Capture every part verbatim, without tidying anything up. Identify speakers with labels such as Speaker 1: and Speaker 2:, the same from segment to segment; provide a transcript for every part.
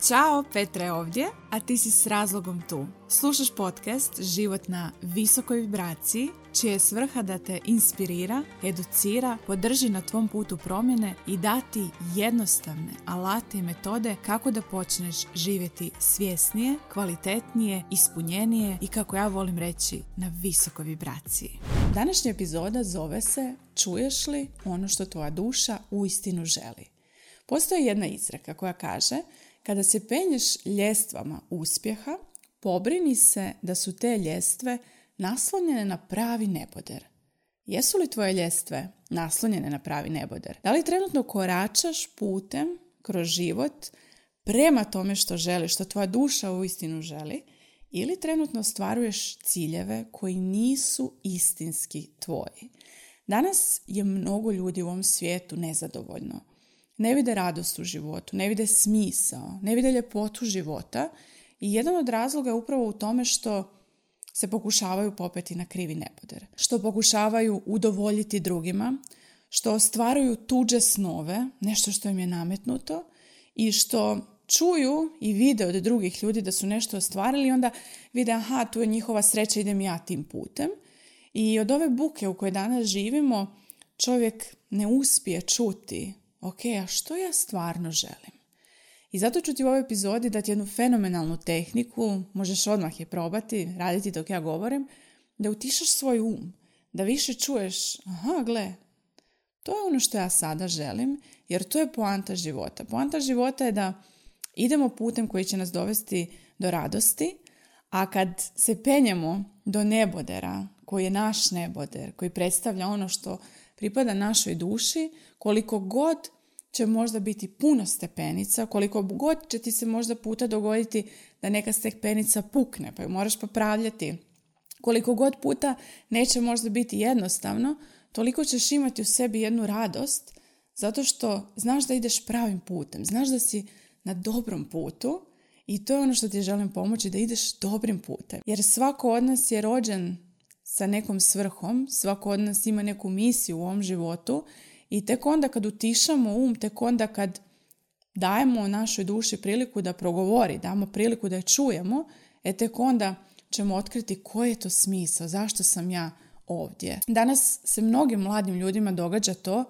Speaker 1: Ćao, Petra je ovdje, a ti si s razlogom tu. Slušaš podcast Život na visokoj vibraciji, čija je svrha da te inspirira, educira, podrži na tvom putu promjene i dati jednostavne alate i metode kako da počneš živjeti svjesnije, kvalitetnije, ispunjenije i, kako ja volim reći, na visokoj vibraciji. Današnja epizoda zove se Čuješ li ono što tvoja duša uistinu želi? Postoji jedna izreka koja kaže: kada se penješ ljestvama uspjeha, pobrini se da su te ljestve naslonjene na pravi neboder. Jesu li tvoje ljestve naslonjene na pravi neboder? Da li trenutno koračaš putem kroz život prema tome što želiš, što tvoja duša uistinu želi, ili trenutno ostvaruješ ciljeve koji nisu istinski tvoji? Danas je mnogo ljudi u ovom svijetu nezadovoljno. Ne vide radost u životu, ne vide smisao, ne vide ljepotu života i jedan od razloga je upravo u tome što se pokušavaju popeti na krivi neboder, što pokušavaju udovoljiti drugima, što ostvaruju tuđe snove, nešto što im je nametnuto i što čuju i vide od drugih ljudi da su nešto ostvarili i onda vide, aha, tu je njihova sreća, idem ja tim putem. I od ove buke u kojoj danas živimo čovjek ne uspije čuti: ok, a što ja stvarno želim? I zato ću ti u ovoj epizodi dati jednu fenomenalnu tehniku, možeš odmah je probati, raditi dok ja govorim, da utišaš svoj um, da više čuješ, aha, gle, to je ono što ja sada želim, jer to je poanta života. Poanta života je da idemo putem koji će nas dovesti do radosti, a kad se penjemo do nebodera, koji je naš neboder, koji predstavlja ono što pripada našoj duši, koliko god će možda biti puno stepenica, koliko god će ti se možda puta dogoditi da neka stepenica pukne pa ju moraš popravljati, koliko god puta neće možda biti jednostavno, toliko ćeš imati u sebi jednu radost zato što znaš da ideš pravim putem, znaš da si na dobrom putu i to je ono što ti želim pomoći, da ideš dobrim putem. Jer svako od nas je rođen sa nekom svrhom, svako od nas ima neku misiju u ovom životu i tek onda kad utišamo um, tek onda kad dajemo našoj duši priliku da progovori, damo priliku da je čujemo, e tek onda ćemo otkriti koji je to smisao, zašto sam ja ovdje. Danas se mnogim mladim ljudima događa to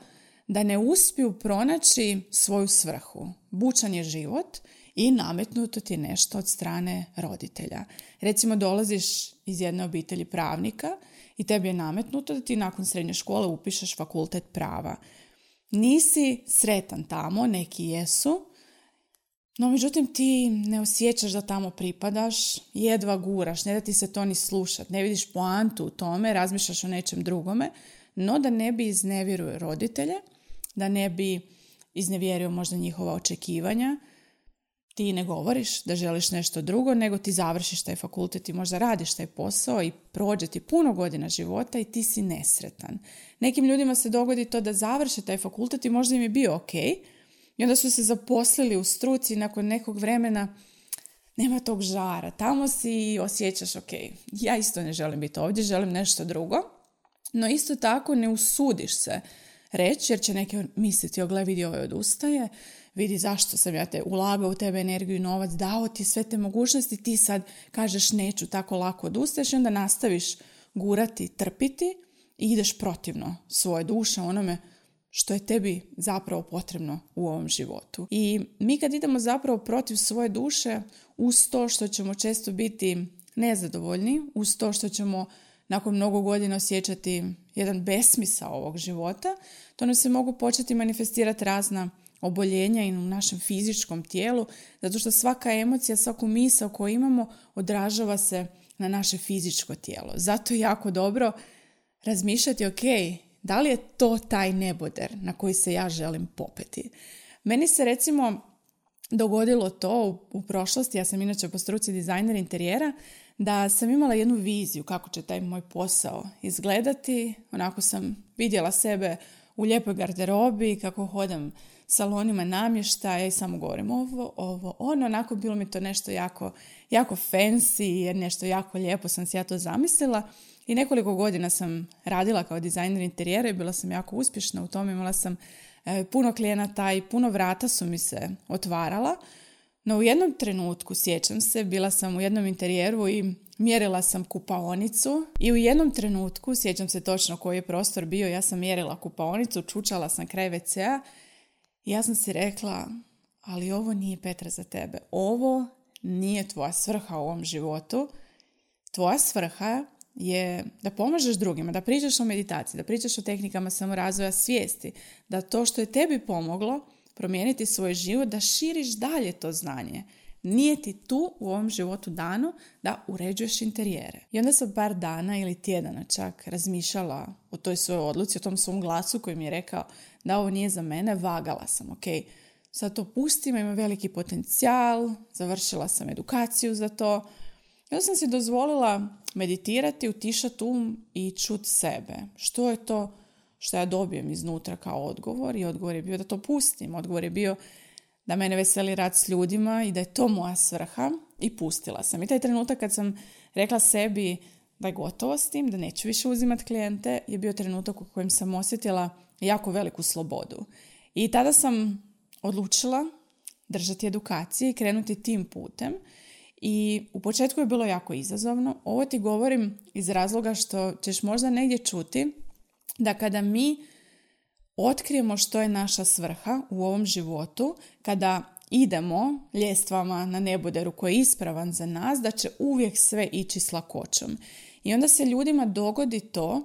Speaker 1: da ne uspiju pronaći svoju svrhu. Bučan je život i nametnuto ti je nešto od strane roditelja. Recimo, dolaziš iz jedne obitelji pravnika i tebi je nametnuto da ti nakon srednje škole upišeš fakultet prava. Nisi sretan tamo, neki jesu, no međutim ti ne osjećaš da tamo pripadaš, jedva guraš, ne da ti se to ni slušat, ne vidiš poantu u tome, razmišljaš o nečem drugome, no da ne bi iznevjerio roditelje, da ne bi iznevjerio možda njihova očekivanja, ti ne govoriš da želiš nešto drugo, nego ti završiš taj fakultet i možda radiš taj posao i prođe ti puno godina života i ti si nesretan. Nekim ljudima se dogodi to da završe taj fakultet i možda im je bio ok i onda su se zaposlili u struci i nakon nekog vremena nema tog žara. Tamo si osjećaš ok, ja isto ne želim biti ovdje, želim nešto drugo, no isto tako ne usudiš se reći jer će neki misliti, o gle, vidi, ovaj odustaje, vidi zašto sam ja te ulagao u tebe energiju i novac, dao ti sve te mogućnosti, ti sad kažeš neću, tako lako odustaješ i onda nastaviš gurati, trpiti i ideš protivno svoje duše, onome što je tebi zapravo potrebno u ovom životu. I mi kad idemo zapravo protiv svoje duše, uz to što ćemo često biti nezadovoljni, uz to što ćemo nakon mnogo godina osjećati jedan besmisao ovog života, to nam se mogu početi manifestirati razna oboljenja i u našem fizičkom tijelu, zato što svaka emocija, svaku misao koju imamo odražava se na naše fizičko tijelo. Zato je jako dobro razmišljati, ok, da li je to taj neboder na koji se ja želim popeti. Meni se recimo dogodilo to u, u prošlosti, ja sam inače po struci dizajner interijera, da sam imala jednu viziju kako će taj moj posao izgledati. Onako sam vidjela sebe u lijepoj garderobi, kako hodam salonima namještaja i samo govorim ovo, ovo, ono. Onako bilo mi to nešto jako, jako fancy, jer nešto jako lijepo sam si ja to zamislila. I nekoliko godina sam radila kao dizajner interijera i bila sam jako uspješna u tome. Imala sam e, puno klijenata i puno vrata su mi se otvarala. No u jednom trenutku, sjećam se, bila sam u jednom interijeru i mjerila sam kupaonicu i u jednom trenutku, sjećam se točno koji je prostor bio, ja sam mjerila kupaonicu, čučala sam kraj ve cea i ja sam si rekla, ali ovo nije, Petra, za tebe. Ovo nije tvoja svrha u ovom životu. Tvoja svrha je da pomažeš drugima, da pričaš o meditaciji, da pričaš o tehnikama samorazvoja svijesti, da to što je tebi pomoglo promijeniti svoj život, da širiš dalje to znanje. Nije ti tu u ovom životu dano da uređuješ interijere. I onda sam par dana ili tjedana čak razmišljala o toj svojoj odluci, o tom svom glasu koji mi je rekao da ovo nije za mene. Vagala sam, ok, sad to pustim, ima veliki potencijal, završila sam edukaciju za to. I onda sam si dozvolila meditirati, utišati um i čuti sebe. Što je to što ja dobijem iznutra kao odgovor? I odgovor je bio da to pustim. Odgovor je bio da mene veseli rad s ljudima i da je to moja svrha, i pustila sam. I taj trenutak kad sam rekla sebi da je gotovo s tim, da neću više uzimati klijente, je bio trenutak u kojem sam osjetila jako veliku slobodu. I tada sam odlučila držati edukacije i krenuti tim putem. I u početku je bilo jako izazovno. Ovo ti govorim iz razloga što ćeš možda negdje čuti da kada mi otkrijemo što je naša svrha u ovom životu, kada idemo ljestvama na neboderu koji je ispravan za nas, da će uvijek sve ići s lakoćom. I onda se ljudima dogodi to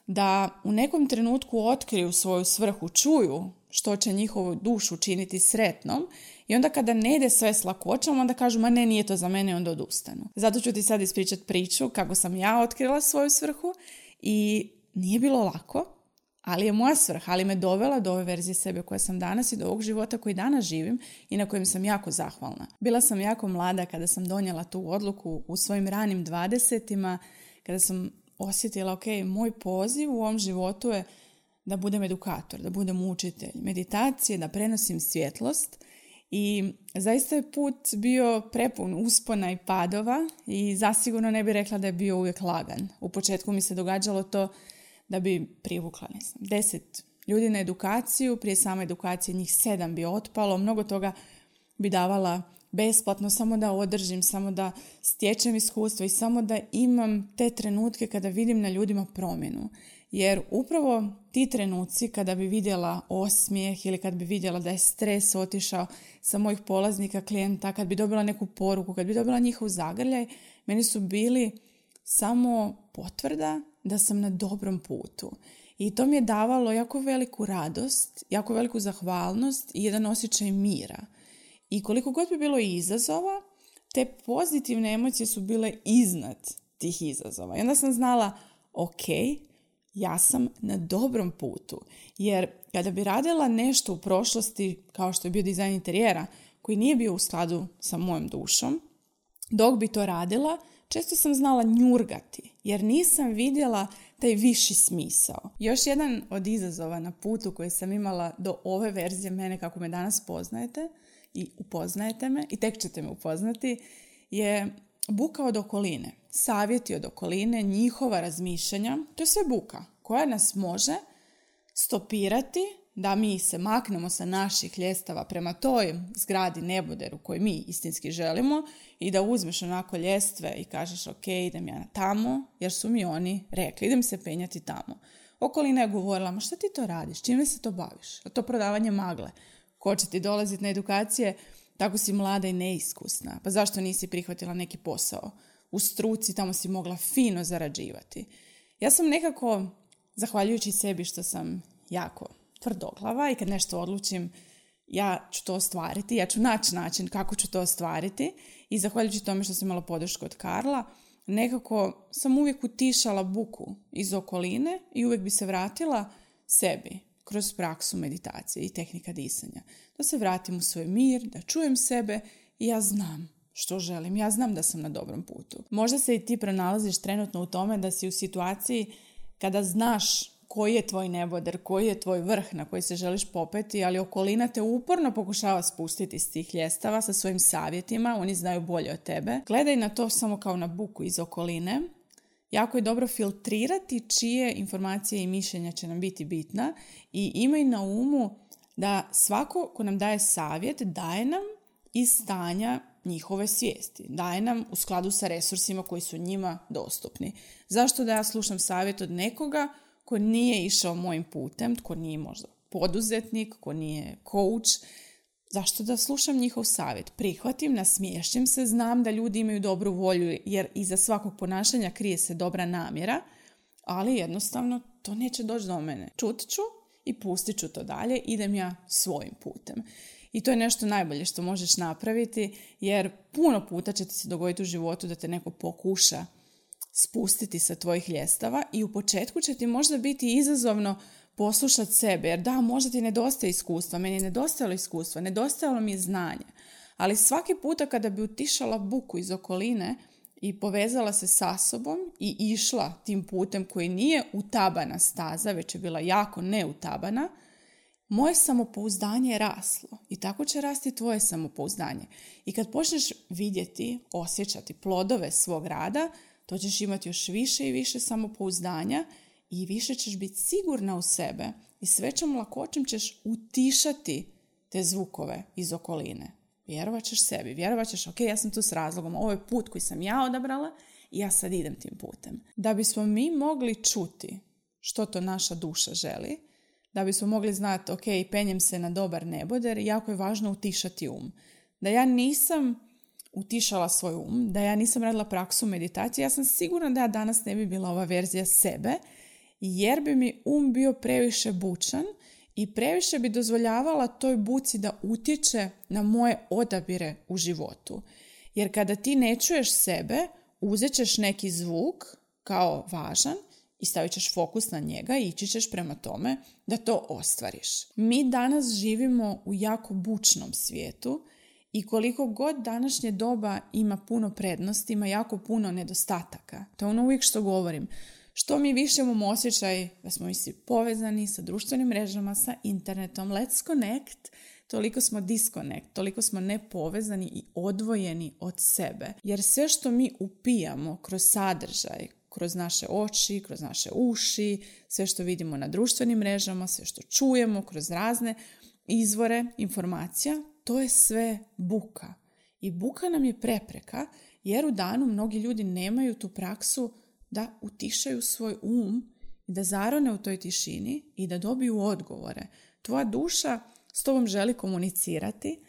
Speaker 1: da u nekom trenutku otkriju svoju svrhu, čuju što će njihovu dušu činiti sretnom, i onda kada ne ide sve s lakoćom, onda kažu, ma ne, nije to za mene, i onda odustanu. Zato ću ti sad ispričati priču kako sam ja otkrila svoju svrhu i nije bilo lako, ali je moja svrha, ali me dovela do ove verzije sebe koja sam danas i do ovog života koji danas živim i na kojem sam jako zahvalna. Bila sam jako mlada kada sam donijela tu odluku u svojim ranim dvadesetima, kada sam osjetila, ok, moj poziv u ovom životu je da budem edukator, da budem učitelj meditacije, da prenosim svjetlost. I zaista je put bio prepun uspona i padova i zasigurno ne bih rekla da je bio uvijek lagan. U početku mi se događalo to da bi privukla, ne znam, deset ljudi na edukaciju, prije same edukacije njih sedam bi otpalo, mnogo toga bi davala besplatno, samo da održim, samo da stječem iskustvo i samo da imam te trenutke kada vidim na ljudima promjenu. Jer upravo ti trenuci kada bi vidjela osmijeh ili kad bi vidjela da je stres otišao sa mojih polaznika, klijenta, kad bi dobila neku poruku, kad bi dobila njihov zagrljaj, meni su bili samo potvrda da sam na dobrom putu. I to mi je davalo jako veliku radost, jako veliku zahvalnost i jedan osjećaj mira. I koliko god bi bilo izazova, te pozitivne emocije su bile iznad tih izazova. I onda sam znala, ok, ja sam na dobrom putu. Jer kada bi radila nešto u prošlosti, kao što je bio dizajn interijera, koji nije bio u skladu sa mojom dušom, dok bi to radila, često sam znala njurgati, jer nisam vidjela taj viši smisao. Još jedan od izazova na putu koji sam imala do ove verzije mene kako me danas poznajete i upoznajete me, i tek ćete me upoznati, je buka od okoline. Savjeti od okoline, njihova razmišljanja, to je sve buka koja nas može stopirati da mi se maknemo sa naših ljestava prema toj zgradi neboderu koju mi istinski želimo i da uzmeš onako ljestve i kažeš, ok, idem ja tamo jer su mi oni rekli, idem se penjati tamo. Okolina je govorila, ma šta ti to radiš, čime se to baviš? To prodavanje magle. Ko će ti dolaziti na edukacije, tako si mlada i neiskusna. Pa zašto nisi prihvatila neki posao? U struci tamo si mogla fino zarađivati. Ja sam nekako, zahvaljujući sebi što sam jako tvrdoglava i kad nešto odlučim, ja ću to ostvariti, ja ću naći način kako ću to ostvariti, i zahvaljujući tome što sam imala podršku od Karla, nekako sam uvijek utišala buku iz okoline i uvijek bi se vratila sebi kroz praksu meditacije i tehnika disanja. Da se vratim u svoj mir, da čujem sebe i ja znam što želim, ja znam da sam na dobrom putu. Možda se i ti pronalaziš trenutno u tome da si u situaciji kada znaš koji je tvoj neboder, koji je tvoj vrh na koji se želiš popeti, ali okolina te uporno pokušava spustiti s tih ljestava sa svojim savjetima, oni znaju bolje od tebe. Gledaj na to samo kao na buku iz okoline. Jako je dobro filtrirati čije informacije i mišljenja će nam biti bitna i imaj na umu da svako ko nam daje savjet, daje nam iz stanja njihove svijesti. Daje nam u skladu sa resursima koji su njima dostupni. Zašto da ja slušam savjet od nekoga ko nije išao mojim putem, ko nije možda poduzetnik, ko nije coach? Zašto da slušam njihov savjet? Prihvatim, nasmiješim se, znam da ljudi imaju dobru volju jer iza svakog ponašanja krije se dobra namjera, ali jednostavno to neće doći do mene. Čut ću i pustit ću to dalje, idem ja svojim putem. I to je nešto najbolje što možeš napraviti, jer puno puta će ti se dogoditi u životu da te neko pokuša spustiti sa tvojih ljestava i u početku će ti možda biti izazovno poslušati sebe, jer da, možda ti nedostaje iskustva, meni je nedostajalo iskustva, nedostajalo mi je znanje, ali svaki puta kada bi utišala buku iz okoline i povezala se sa sobom i išla tim putem koji nije utabana staza, već je bila jako neutabana, moje samopouzdanje je raslo i tako će rasti tvoje samopouzdanje. I kad počneš vidjeti, osjećati plodove svog rada, to ćeš imati još više i više samopouzdanja i više ćeš biti sigurna u sebe i s većom lakoćom ćeš utišati te zvukove iz okoline. Vjerovat ćeš sebi, vjerovat ćeš, ok, ja sam tu s razlogom, ovo je put koji sam ja odabrala i ja sad idem tim putem. Da bismo mi mogli čuti što to naša duša želi, da bismo mogli znati, ok, penjem se na dobar neboder, jako je važno utišati um. Da ja nisam utišala svoj um, da ja nisam radila praksu meditacije, ja sam sigurna da ja danas ne bi bila ova verzija sebe, jer bi mi um bio previše bučan i previše bi dozvoljavala toj buci da utječe na moje odabire u životu. Jer kada ti ne čuješ sebe, uzet ćeš neki zvuk kao važan i stavit ćeš fokus na njega i ići ćeš prema tome da to ostvariš. Mi danas živimo u jako bučnom svijetu i koliko god današnje doba ima puno prednosti, ima jako puno nedostataka. To je ono uvijek što govorim. Što mi više imamo osjećaj da smo mi svi povezani sa društvenim mrežama, sa internetom, let's connect, toliko smo disconnect, toliko smo nepovezani i odvojeni od sebe. Jer sve što mi upijamo kroz sadržaj, kroz naše oči, kroz naše uši, sve što vidimo na društvenim mrežama, sve što čujemo kroz razne izvore informacija, to je sve buka. I buka nam je prepreka jer u danu mnogi ljudi nemaju tu praksu da utišaju svoj um i da zarone u toj tišini i da dobiju odgovore. Tvoja duša s tobom želi komunicirati,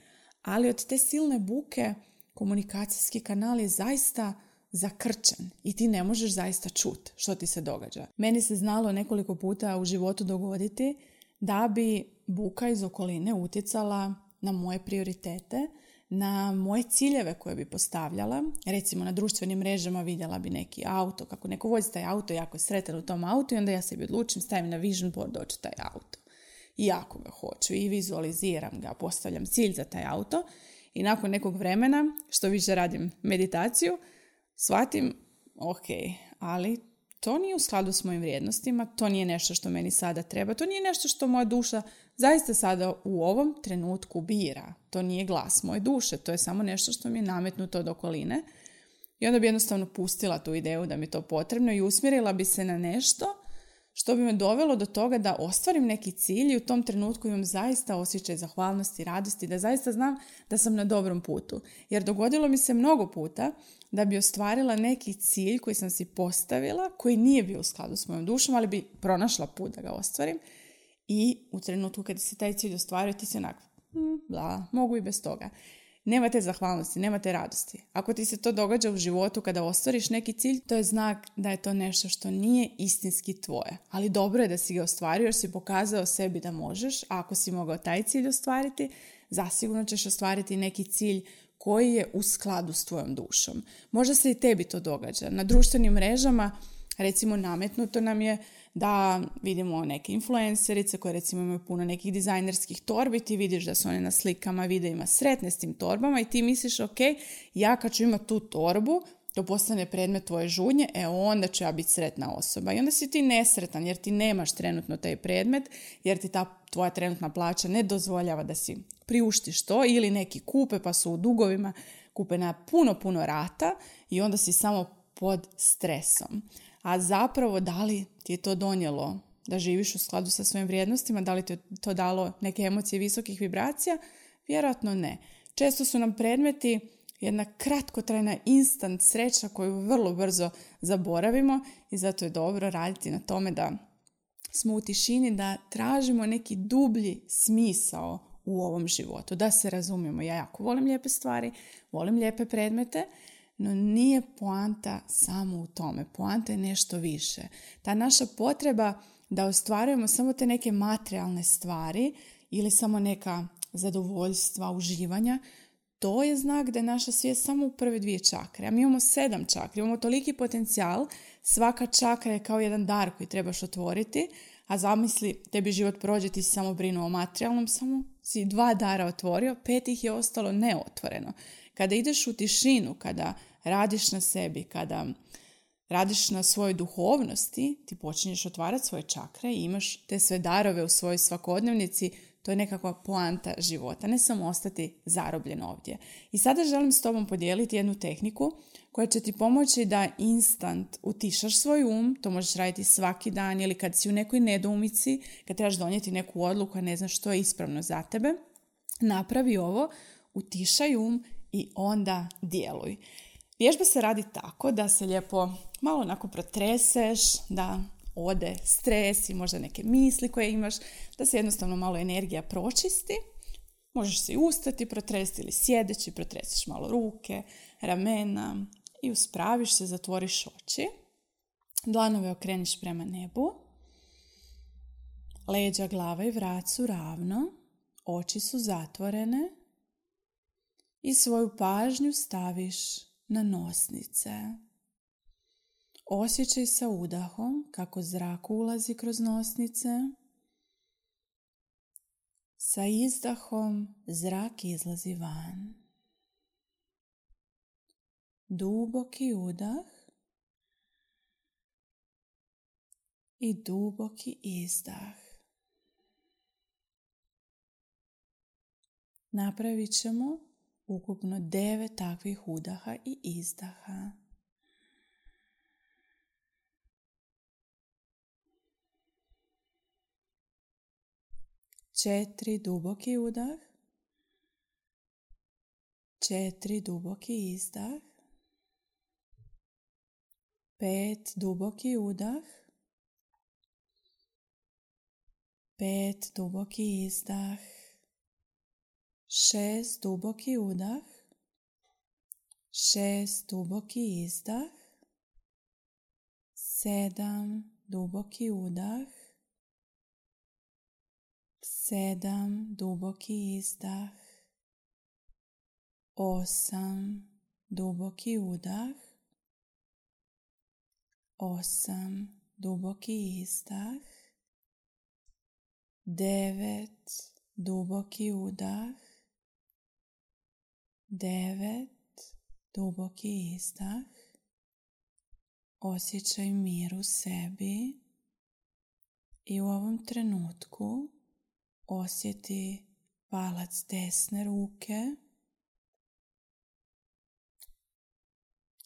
Speaker 1: ali od te silne buke komunikacijski kanal je zaista zakrčen i ti ne možeš zaista čuti što ti se događa. Meni se znalo nekoliko puta u životu dogoditi da bi buka iz okoline utjecala na moje prioritete, na moje ciljeve koje bi postavljala. Recimo na društvenim mrežama vidjela bi neki auto, kako neko vozi taj auto, jako je sretan u tom autu i onda ja sebi odlučim, stavim na vision board doći taj auto. I jako ga hoću i vizualiziram ga, postavljam cilj za taj auto i nakon nekog vremena, što više radim meditaciju, shvatim, ok, ali to nije u skladu s mojim vrijednostima, to nije nešto što meni sada treba, to nije nešto što moja duša zaista sada u ovom trenutku bira. To nije glas moje duše, to je samo nešto što mi je nametnuto od okoline. I onda bi jednostavno pustila tu ideju da mi je to potrebno i usmjerila bi se na nešto što bi me dovelo do toga da ostvarim neki cilj i u tom trenutku imam zaista osjećaj zahvalnosti i radosti, da zaista znam da sam na dobrom putu. Jer dogodilo mi se mnogo puta da bi ostvarila neki cilj koji sam si postavila, koji nije bio u skladu s mojom dušom, ali bi pronašla put da ga ostvarim. I u trenutku kada se taj cilj ostvario, ti si onako, hm, bla, mogu i bez toga. Nema te zahvalnosti, nema te radosti. Ako ti se to događa u životu kada ostvariš neki cilj, to je znak da je to nešto što nije istinski tvoje. Ali dobro je da si ga ostvario jer si pokazao sebi da možeš. A ako si mogao taj cilj ostvariti, zasigurno ćeš ostvariti neki cilj koji je u skladu s tvojom dušom. Možda se i tebi to događa. Na društvenim mrežama, recimo, nametnuto nam je da vidimo neke influencerice koje recimo imaju puno nekih dizajnerskih torbi, ti vidiš da su one na slikama, videima sretne s tim torbama i ti misliš, ok, ja kad ću imati tu torbu, to postane predmet tvoje žudnje, e onda ću ja biti sretna osoba. I onda si ti nesretan jer ti nemaš trenutno taj predmet, jer ti ta tvoja trenutna plaća ne dozvoljava da si priuštiš to, ili neki kupe pa su u dugovima, kupe na puno, puno rata i onda si samo pod stresom. A zapravo da li ti je to donijelo da živiš u skladu sa svojim vrijednostima, da li ti je to dalo neke emocije visokih vibracija? Vjerojatno ne. Često su nam predmeti jedna kratkotrajna instant sreća koju vrlo brzo zaboravimo i zato je dobro raditi na tome da smo u tišini, da tražimo neki dublji smisao u ovom životu, da se razumijemo. Ja jako volim lijepe stvari, volim lijepe predmete, no nije poanta samo u tome. Poanta je nešto više. Ta naša potreba da ostvarujemo samo te neke materijalne stvari ili samo neka zadovoljstva, uživanja, to je znak da je naša svijest samo u prve dvije čakre. A mi imamo sedam čakri, imamo toliki potencijal, svaka čakra je kao jedan dar koji trebaš otvoriti, a zamisli, tebi život prođe, ti si samo brinuo o materijalnom, samo si dva dara otvorio, pet ih je ostalo neotvoreno. Kada ideš u tišinu, kada radiš na sebi, kada radiš na svojoj duhovnosti, ti počinješ otvarati svoje čakre i imaš te sve darove u svojoj svakodnevnici. To je nekakva poanta života, ne samo ostati zarobljen ovdje. I sada želim s tobom podijeliti jednu tehniku koja će ti pomoći da instant utišaš svoj um. To možeš raditi svaki dan ili kad si u nekoj nedoumici, kad trebaš donijeti neku odluku, a ne znaš što je ispravno za tebe. Napravi ovo, utišaj um i onda djeluj. Vježba se radi tako da se lijepo malo onako protreseš, da ode stres i možda neke misli koje imaš, da se jednostavno malo energija pročisti. Možeš se i ustati, protresti ili sjedeći, protresiš malo ruke, ramena i uspraviš se, zatvoriš oči. Dlanove okreniš prema nebu. Leđa, glava i vrat su ravno. Oči su zatvorene. I svoju pažnju staviš na nosnice. Osjećaj sa udahom kako zrak ulazi kroz nosnice. Sa izdahom zrak izlazi van. Duboki udah i duboki izdah. Napravit ćemo ukupno devet takvih udaha i izdaha. Četiri duboki udah, četiri duboki izdah, pet duboki udah, pet duboki izdah, šest duboki udah, šest duboki izdah, sedam duboki udah, sedam duboki izdah, osam duboki udah, osam duboki izdah, devet duboki udah, devet duboki izdah. Osjećaj mir u sebi i u ovom trenutku osjeti palac desne ruke,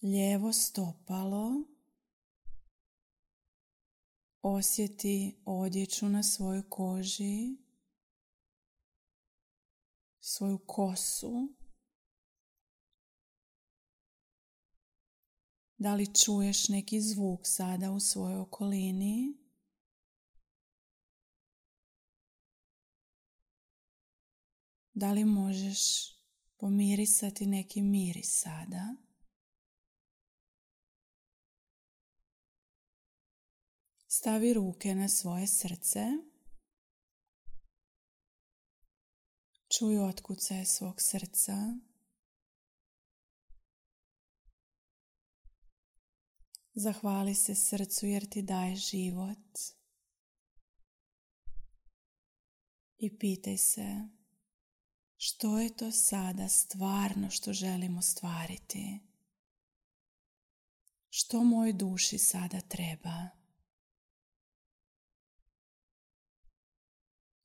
Speaker 1: lijevo stopalo, osjeti odjeću na svojoj koži, svoju kosu. Da li čuješ neki zvuk sada u svojoj okolini? Da li možeš pomirisati neki miris sada? Stavi ruke na svoje srce. Čuj otkucaje svog srca. Zahvali se srcu jer ti daje život. I pitaj se, što je to sada stvarno što želim ostvariti? Što mojoj duši sada treba?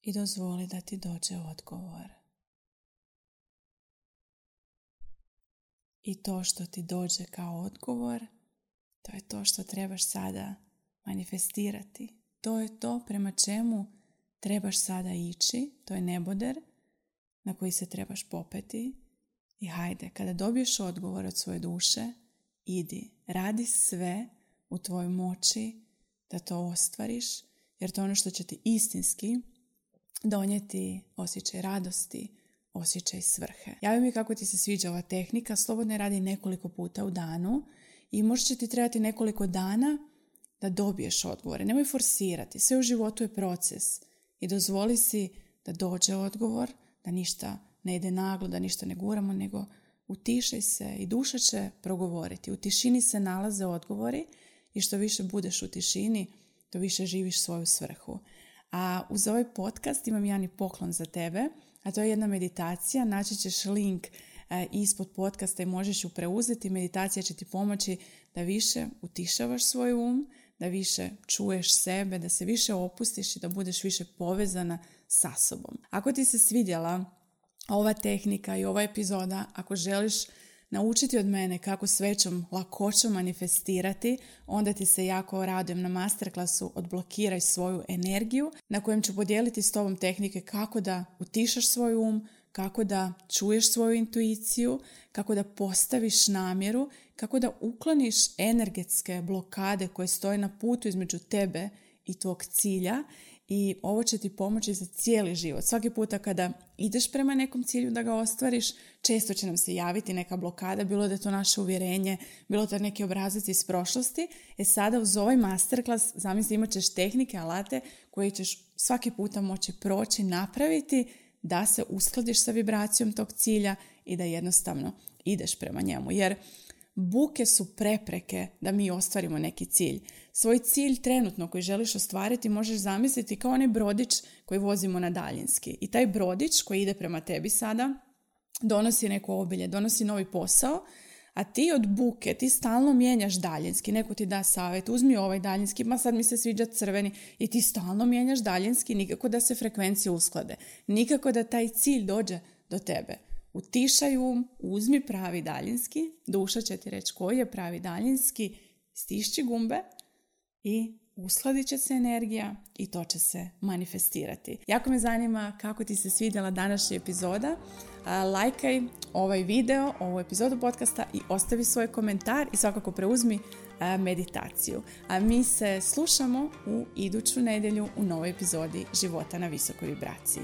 Speaker 1: I dozvoli da ti dođe odgovor. I to što ti dođe kao odgovor, to je to što trebaš sada manifestirati. To je to prema čemu trebaš sada ići. To je neboder na koji se trebaš popeti. I hajde, kada dobiješ odgovor od svoje duše, idi, radi sve u tvojoj moći da to ostvariš, jer to je ono što će ti istinski donijeti osjećaj radosti, osjećaj svrhe. Javi mi kako ti se sviđa ova tehnika, slobodno je radi nekoliko puta u danu i možda će ti trebati nekoliko dana da dobiješ odgovore. Nemoj forsirati, sve u životu je proces i dozvoli si da dođe odgovor, da ništa ne ide naglo, da ništa ne guramo, nego utišaj se i duša će progovoriti. U tišini se nalaze odgovori i što više budeš u tišini, to više živiš svoju svrhu. A uz ovaj podcast imam jedan i poklon za tebe, a to je jedna meditacija. Naći ćeš link e, ispod podcasta i možeš ju preuzeti. Meditacija će ti pomoći da više utišavaš svoj um, da više čuješ sebe, da se više opustiš i da budeš više povezana sa sobom. Ako ti se svidjela ova tehnika i ova epizoda, ako želiš naučiti od mene kako s većom lakoćom manifestirati, onda ti se jako radujem na masterclassu Odblokiraj svoju energiju, na kojem ću podijeliti s tobom tehnike kako da utišaš svoj um, kako da čuješ svoju intuiciju, kako da postaviš namjeru, kako da ukloniš energetske blokade koje stoje na putu između tebe i tvog cilja. I ovo će ti pomoći za cijeli život. Svaki puta kada ideš prema nekom cilju da ga ostvariš, često će nam se javiti neka blokada, bilo da je to naše uvjerenje, bilo da je neki obrazac iz prošlosti. E sada uz ovaj masterclass, zamisli, imat ćeš tehnike, alate koje ćeš svaki puta moći proći, napraviti da se uskladiš sa vibracijom tog cilja i da jednostavno ideš prema njemu. Jer buke su prepreke da mi ostvarimo neki cilj. Svoj cilj trenutno koji želiš ostvariti možeš zamisliti kao onaj brodić koji vozimo na daljinski. I taj brodić koji ide prema tebi sada donosi neko obilje, donosi novi posao, a ti od buke, ti stalno mijenjaš daljinski. Neko ti da savjet, uzmi ovaj daljinski, ma sad mi se sviđa crveni, i ti stalno mijenjaš daljinski, nikako da se frekvencije usklade, nikako da taj cilj dođe do tebe. Utišaj um, uzmi pravi daljinski, duša će ti reći koji je pravi daljinski, stišći gumbe i uskladit će se energija i to će se manifestirati. Jako me zanima kako ti se svidjela današnja epizoda. Lajkaj ovaj video, ovu epizodu podcasta i ostavi svoj komentar i svakako preuzmi meditaciju. A mi se slušamo u iduću nedjelju u novoj epizodi Života na visokoj vibraciji.